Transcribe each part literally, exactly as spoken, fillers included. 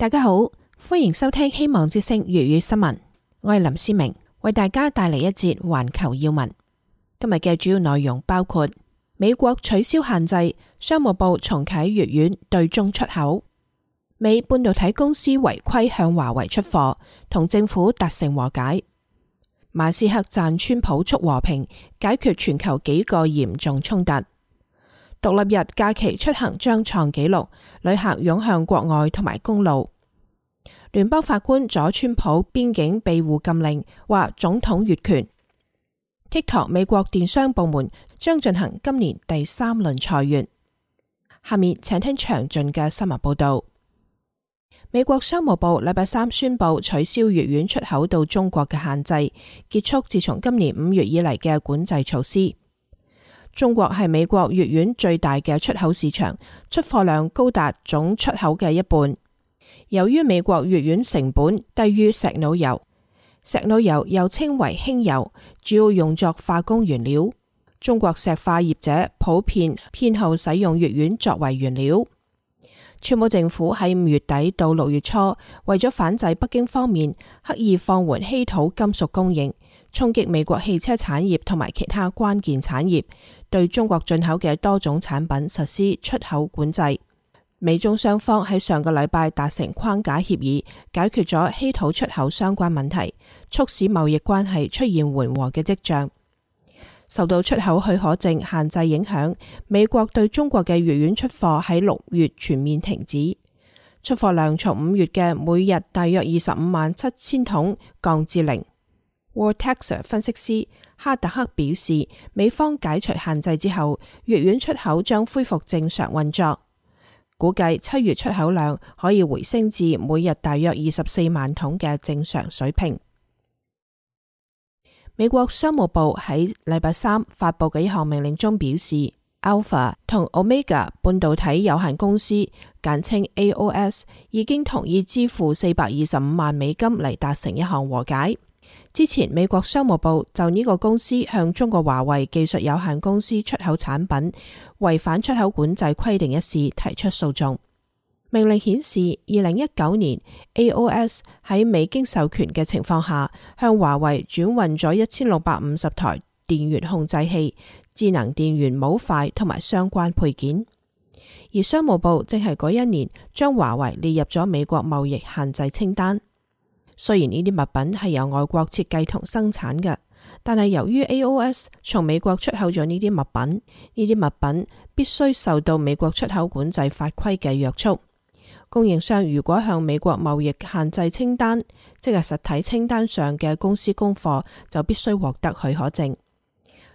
大家好，歡迎收聽希望之聲粵語新聞，我係林思明，為大家帶嚟一節環球要聞。今日嘅主要內容包括美國取消限制，商務部重啟粵苑對中出口；美半導體公司違規向華為出貨，同政府達成和解；馬斯克讚川普促和平，解決全球幾個嚴重衝突；獨立日假期出行將創紀錄，旅客湧向國外同埋公路；聯邦法官阻川普邊境庇護禁令，話總統越權。TikTok 美國電商部門將進行今年第三輪裁員。下面請聽詳盡嘅新聞報道。美國商務部禮拜三宣布取消粵苑出口到中國嘅限制，結束自從今年五月以嚟嘅管制措施。中國係美國粵苑最大嘅出口市場，出貨量高達總出口嘅一半。由於美國粵苑成本低於石腦油，石腦油又稱為輕油，主要用作化工原料。中國石化業者普遍偏好使用粵苑作為原料。川普政府喺五月底到六月初，為咗反制北京方面刻意放緩稀土金屬供應，衝擊美國汽車產業同埋其他關鍵產業，對中國進口嘅多種產品實施出口管制。美中雙方喺上個禮拜達成框架協議，解決咗稀土出口相關問題，促使貿易關係出現緩和嘅跡象。受到出口許可證限制影響，美國對中國嘅粵苑出貨喺六月全面停止，出貨量從五月嘅每日大約二十五萬七千桶降至零。Vortex 分析師哈特克表示，美方解除限制之後，粵苑出口將恢復正常運作。估計七月出口量可以回升至每日大約二十四萬桶嘅正常水平。美國商務部喺禮拜三發佈嘅一項命令中表示， Alpha 同 Omega 半導體有限公司簡稱 A O S 已經同意支付四百二十五萬美金嚟達成一項和解。之前美國商務部就呢個公司向中國華為技術有限公司出口產品違反出口管制規定一事提出訴訟。命令顯示，二零一九年 A O S 喺未經授權嘅情況下，向華為轉運咗一千六百五十台電源控制器、智能電源模塊同埋相關配件。而商務部正係嗰一年將華為列入咗美國貿易限制清單。雖然呢啲物品係由外國設計同生產嘅，但係由於 A O S 從美國出口咗呢啲物品，呢啲物品必須受到美國出口管制法規嘅約束。供應商如果向美國貿易限制清單，即係實體清單上嘅公司供貨，就必須獲得許可證。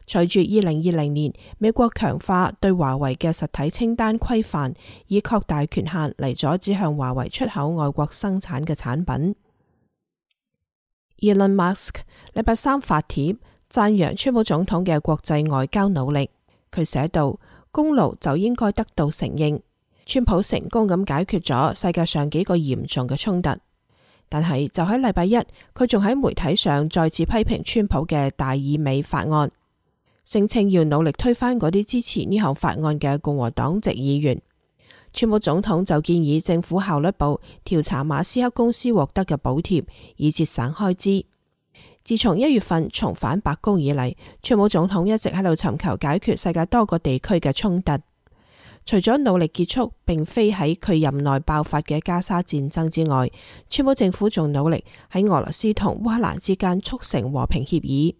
隨住二零二零年美國強化對華為嘅實體清單規範，以擴大權限嚟阻止向華為出口外國生產嘅產品。Elon Musk 禮拜三發帖讚揚川普總統嘅國際外交努力。佢寫道：功勞就應該得到承認，川普成功咁解決咗世界上幾個嚴重嘅衝突。但係就喺禮拜一，佢仲喺媒體上再次批評川普嘅大義美法案，聲稱要努力推翻嗰啲支持呢項法案嘅共和黨籍議員。川普總統就建議政府效率部調查馬斯克公司獲得嘅補貼，以節省開支。自從一月份重返白宮以嚟，川普總統一直喺度尋求解決世界多個地區嘅衝突。除咗努力結束並非喺佢任內爆發嘅加沙戰爭之外，川普政府仲努力喺俄羅斯同烏克蘭之間促成和平協議。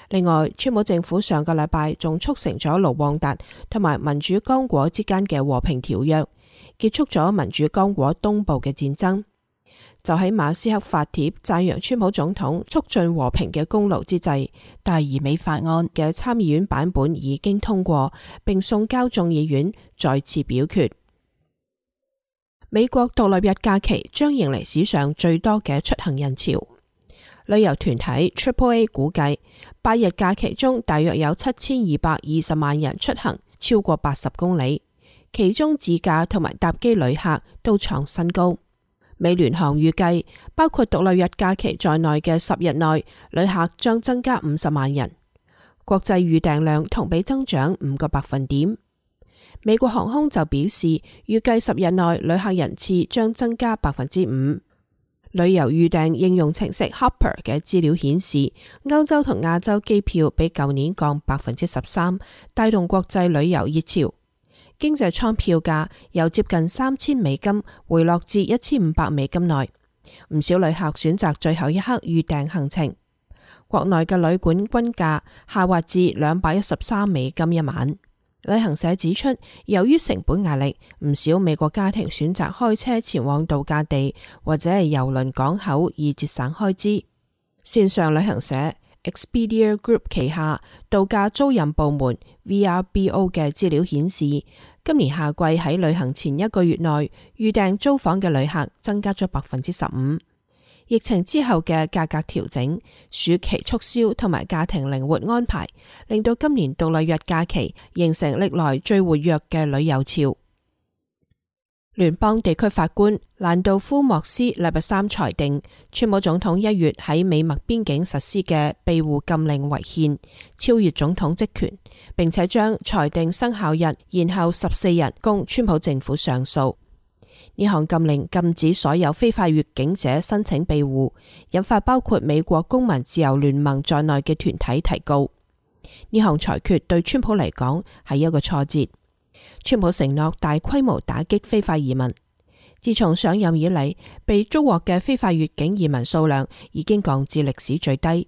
另外，川普政府上個禮拜仲促成咗盧旺達同埋民主剛果之間嘅和平條約，結束咗民主剛果東部嘅戰爭。就喺馬斯克發帖讚揚川普總統促進和平嘅功勞之際，大義美法案嘅參議院版本已經通過，並送交眾議院再次表決。美國獨立日假期將迎嚟史上最多嘅出行人潮。旅遊團體 Triple A 估計，八日假期中大約有七千二百二十萬人出行，超過八十公里，其中自駕同埋搭機旅客都創新高。美聯航預計，包括獨立日假期在內嘅十日內，旅客將增加五十萬人，國際預訂量同比增長五個百分點。美國航空就表示，預計十日內旅客人次將增加百分之五。旅遊預訂應用程式 Hopper 嘅資料顯示，歐洲同亞洲機票比舊年降百分之十三，帶動國際旅遊熱潮。經濟艙票價由接近三千美金回落至一千五百美金內，唔少旅客選擇最後一刻預訂行程。國內嘅旅館均價下滑至兩百一十三美金一晚。旅行社指出，由於成本壓力，唔少美國家庭選擇開車前往度假地或者係郵輪港口以節省開支。線上旅行社 Expedia Group 旗下度假租賃部門 V R B O 嘅資料顯示，今年夏季喺旅行前一個月內預訂租房嘅旅客增加咗百分之十五。疫情之後嘅價格調整、暑期促銷同埋家庭靈活安排，令到今年獨立日假期形成歷來最活躍嘅旅遊潮。聯邦地區法官蘭道夫莫斯禮拜三裁定，川普總統一月喺美墨邊境實施嘅庇護禁令違憲，超越總統職權，並且將裁定生效日延後十四日供川普政府上訴。呢項禁令禁止所有非法越境者申請庇護，引發包括美國公民自由聯盟在內嘅團體提告。呢項裁決對川普嚟講係一個挫折。川普承諾大規模打擊非法移民，自從上任以嚟，被捉獲嘅非法越境移民數量已經降至歷史最低。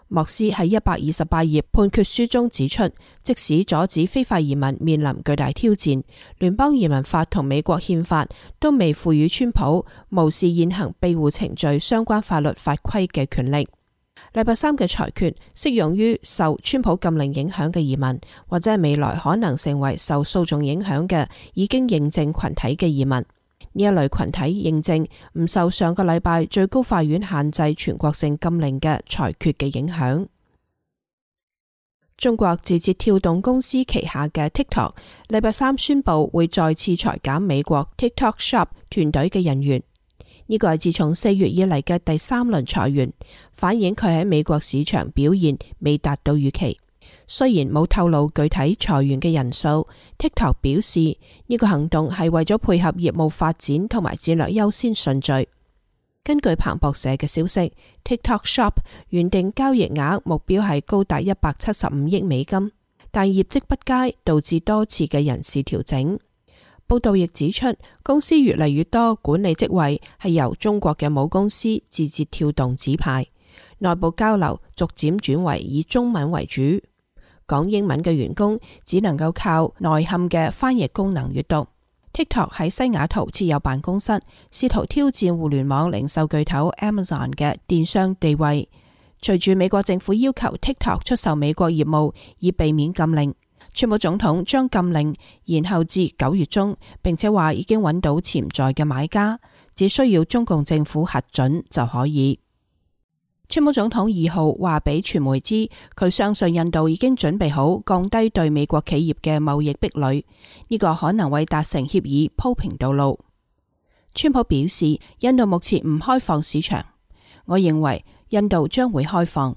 莫斯喺一百二十八頁判決書中指出，即使阻止非法移民面臨巨大挑戰，聯邦移民法同美國憲法都未賦予川普無視現行庇護程序相關法律法規嘅權力。禮拜三嘅裁決適用於受川普禁令影響嘅移民，或者係未來可能成為受訴訟影響嘅已經認證群體嘅移民。呢一類群體認證唔受上個禮拜最高法院限制全國性禁令嘅裁決嘅影響。中國字節跳動公司旗下嘅 TikTok 禮拜三宣布會再次裁減美國 TikTok Shop 團隊嘅人員。呢個係自從四月以嚟嘅第三輪裁員，反映佢喺美國市場表現未達到預期。雖然冇透露具體裁員嘅人數， TikTok 表示呢個行動係為咗配合業務發展同埋戰略優先順序。根據彭博社嘅消息， TikTok Shop 原定交易額目標係高達一百七十五億美金，但業績不佳導致多次嘅人事調整。報道亦指出，公司越嚟越多管理職位係由中國嘅母公司字節跳動指派，內部交流逐漸轉為以中文為主。講英文嘅員工只能夠靠內嵌嘅翻譯功能閱讀。TikTok 喺西雅圖設有辦公室，試圖挑戰互聯網零售巨頭 Amazon 嘅電商地位。隨住美國政府要求 TikTok 出售美國業務以避免禁令，川普總統將禁令延後至九月中，並且話已經揾到潛在嘅買家，只需要中共政府核准就可以。川普總統二號話俾傳媒知，佢相信印度已經準備好降低對美國企業嘅貿易壁壘，呢個可能為達成協議鋪平道路。川普表示，印度目前唔開放市場，我認為印度將會開放。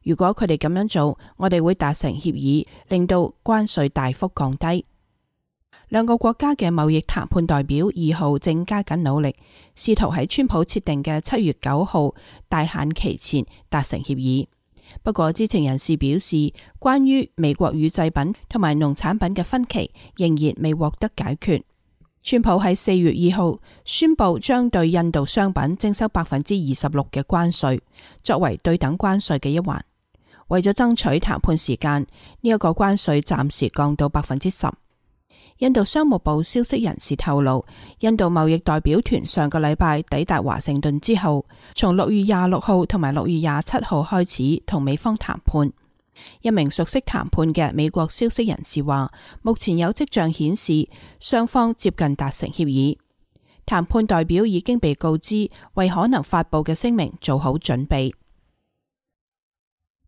如果佢哋咁樣做，我哋會達成協議，令到關稅大幅降低。兩個國家嘅貿易談判代表二號正加緊努力，試圖喺川普設定嘅七月九號大限期前達成協議。不過知情人士表示，關於美國乳製品同埋農產品嘅分歧仍然未獲得解決。川普喺四月二號宣布將對印度商品徵收百分之二十六嘅關稅，作為對等關稅嘅一環。為咗爭取談判時間，呢一個關稅暫時降到百分之十。印度商務部消息人士透露，印度貿易代表團上個禮拜抵達華盛頓之後，從六月廿六號同埋六月廿七號開始同美方談判。一名熟悉談判嘅美國消息人士話，目前有跡象顯示雙方接近達成協議。談判代表已經被告知為可能發佈嘅聲明做好準備。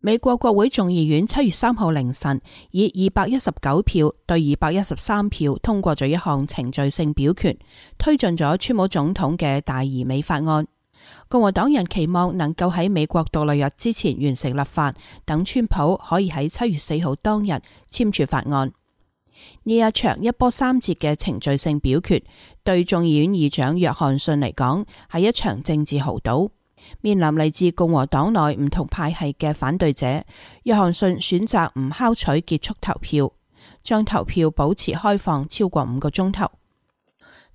美國國會眾議院七月三號凌晨以二百一十九票對二百一十三票通過咗一項程序性表決，推進咗川普總統嘅大移美法案。共和黨人期望能夠喺美國獨立日之前完成立法，等川普可以喺七月四號當日簽署法案。呢一場一波三折嘅程序性表決，對眾議院議長約翰遜嚟講係一場政治豪賭。面臨嚟自共和黨內唔同派系嘅反對者，約翰遜選擇唔敲取結束投票，將投票保持開放超過五個鐘頭。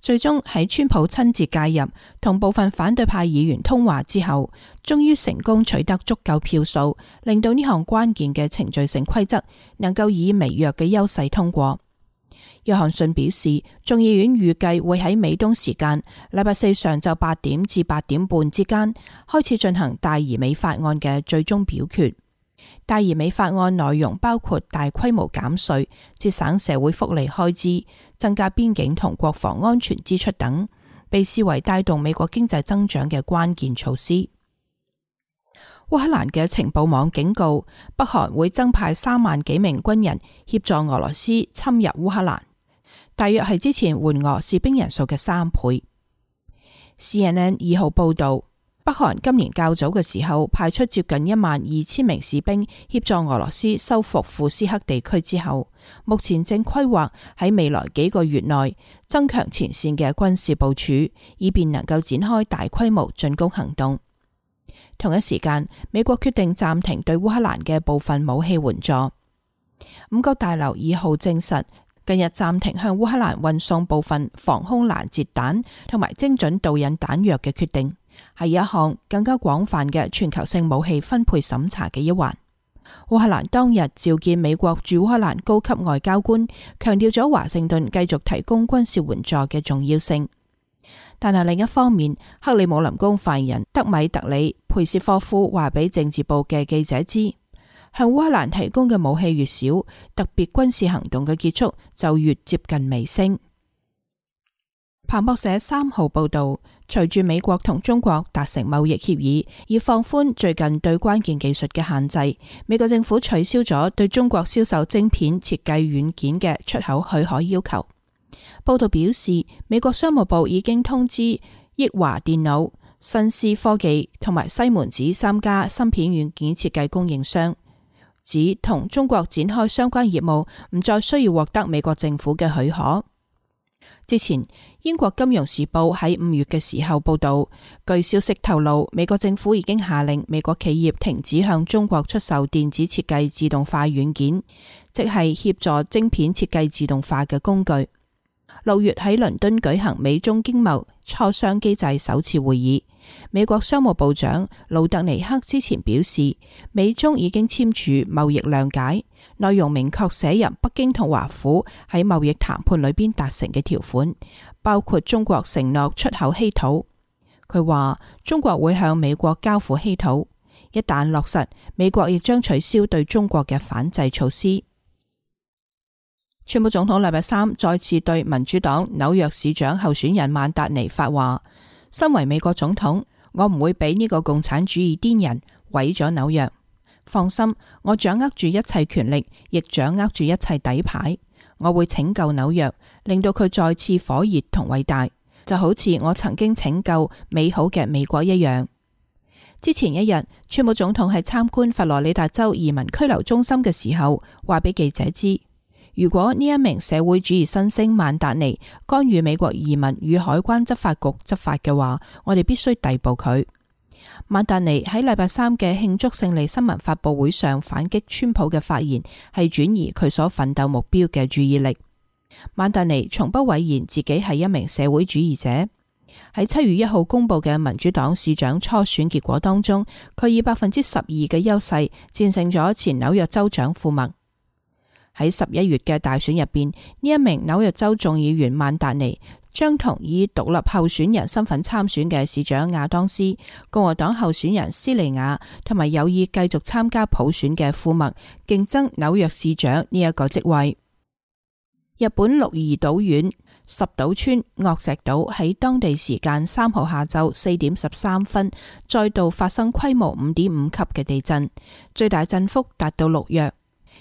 最終喺川普親自介入同部分反對派議員通話之後，終於成功取得足夠票數，令到呢項關鍵嘅程序性規則能夠以微弱嘅優勢通過。約翰遜表示，眾議院預計會喺美東時間禮拜四上晝八點至八點半之間開始進行大而美法案嘅最終表決。大而美法案內容包括大規模減稅、節省社會福利開支、增加邊境同國防安全支出等，被視為帶動美國經濟增長嘅關鍵措施。烏克蘭嘅情報網警告，北韓會增派三萬幾名軍人協助俄羅斯侵入烏克蘭，大約係之前援俄士兵人數嘅三倍。C N N 二號報道，北韓今年較早嘅時候派出接近一萬二千名士兵協助俄羅斯收復庫斯克地區之後，目前正規劃喺未來幾個月內增強前線嘅軍事部署，以便能夠展開大規模進攻行動。同一時間，美國決定暫停對烏克蘭嘅部分武器援助。五角大樓二號證實，近日暫停向烏克蘭運送部分防空攔截彈同埋精準導引彈藥嘅決定，係一項更加廣泛嘅全球性武器分配審查嘅一環。烏克蘭當日召見美國駐烏克蘭高級外交官，強調咗華盛頓繼續提供軍事援助嘅重要性。但係另一方面，克里姆林宮發言人德米特里佩斯科夫話俾政治部嘅記者知，向烏克蘭提供嘅武器越少，特別軍事行動嘅結束就越接近尾聲。彭博社三號報道，隨住美國同中國達成貿易協議，以放寬最近對關鍵技術嘅限制，美國政府取消咗對中國銷售晶片設計軟件嘅出口許可要求。報道表示，美國商務部已經通知益華電腦、新思科技同埋西門子三家芯片軟件設計供應商，指同中國展開相關業務唔再需要獲得美國政府嘅許可。之前，英國金融時報喺五月嘅時候報道，據消息透露，美國政府已經下令美國企業停止向中國出售電子設計自動化軟件，即係協助晶片設計自動化嘅工具。六月喺倫敦舉行美中經貿磋商機制首次會議，美國商務部長魯特尼克之前表示，美中已經簽署貿易諒解，內容明確寫入北京同華府喺貿易談判裏邊達成嘅條款，包括中國承諾出口稀土。佢話中國會向美國交付稀土，一旦落實，美國亦將取消對中國嘅反制措施。川普總統禮拜三再次對民主黨紐約市長候選人曼達尼發話：身為美國總統，我唔會俾呢個共產主義癲人毀咗紐約。放心，我掌握住一切權力，亦掌握住一切底牌。我會拯救紐約，令到佢再次火熱同偉大，就好似我曾經拯救美好嘅美國一樣。之前一日，川普總統喺參觀佛羅里達州移民拘留中心嘅時候，話俾記者知，如果呢一名社會主義新星曼達尼干預美國移民與海關執法局執法嘅話，我哋必須逮捕佢。曼達尼喺禮拜三嘅慶祝勝利新聞發佈會上反擊川普嘅發言，係轉移佢所奮鬥目標嘅注意力。曼達尼從不諱言自己係一名社會主義者。喺七月一號公布嘅民主黨市長初選結果當中，佢以百分之十二嘅優勢戰勝咗前紐約州長庫麥。喺十一月嘅大選入邊，呢一名紐約州眾議員曼達尼將同以獨立候選人身份參選嘅市長亞當斯、共和黨候選人斯利亞同埋有意繼續參加普選嘅庫麥競爭紐約市長呢一個職位。日本鹿兒島縣十島村岳石島喺當地時間三號下晝四點十三分再度發生規模五點五級嘅地震，最大震幅達到六弱。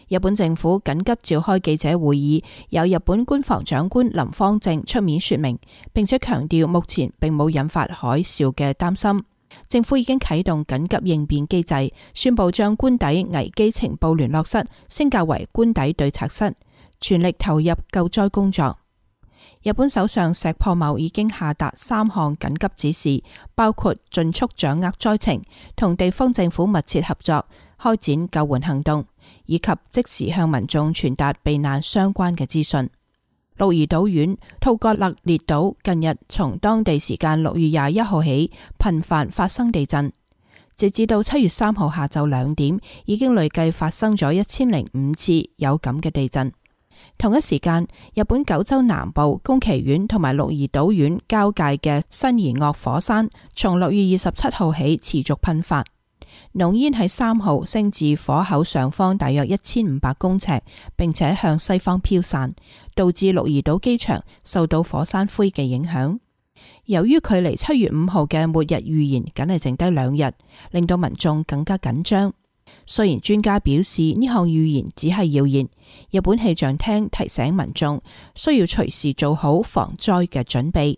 日本政府緊急召開記者會議，由日本官房長官林芳正出面說明，並且強調目前並冇引發海嘯嘅擔心。政府已經啟動緊急應變機制，宣布將官邸危機情報聯絡室升格為官邸對策室，全力投入救災工作。日本首相石破茂已經下達三項緊急指示，包括盡速掌握災情，同地方政府密切合作，開展救援行動，以及即時向民眾傳達避難相關嘅資訊。鹿兒島縣吐葛勒列島近日從當地時間六月廿一號起頻繁發生地震，直至到七月三號下晝兩點，已經累計發生咗一千零五次有感嘅地震。同一時間，日本九州南部宮崎縣同埋鹿兒島縣交界嘅新貽岳火山，從六月二十七號起持續噴發，濃煙喺三號升至火口上方大約一千五百公尺，並且向西方飄散，導致鹿兒島機場受到火山灰嘅影響。由於距離七月五號嘅末日預言僅係剩低兩日，令到民眾更加緊張。雖然專家表示呢項預言只係謠言，日本氣象廳提醒民眾需要隨時做好防災嘅準備。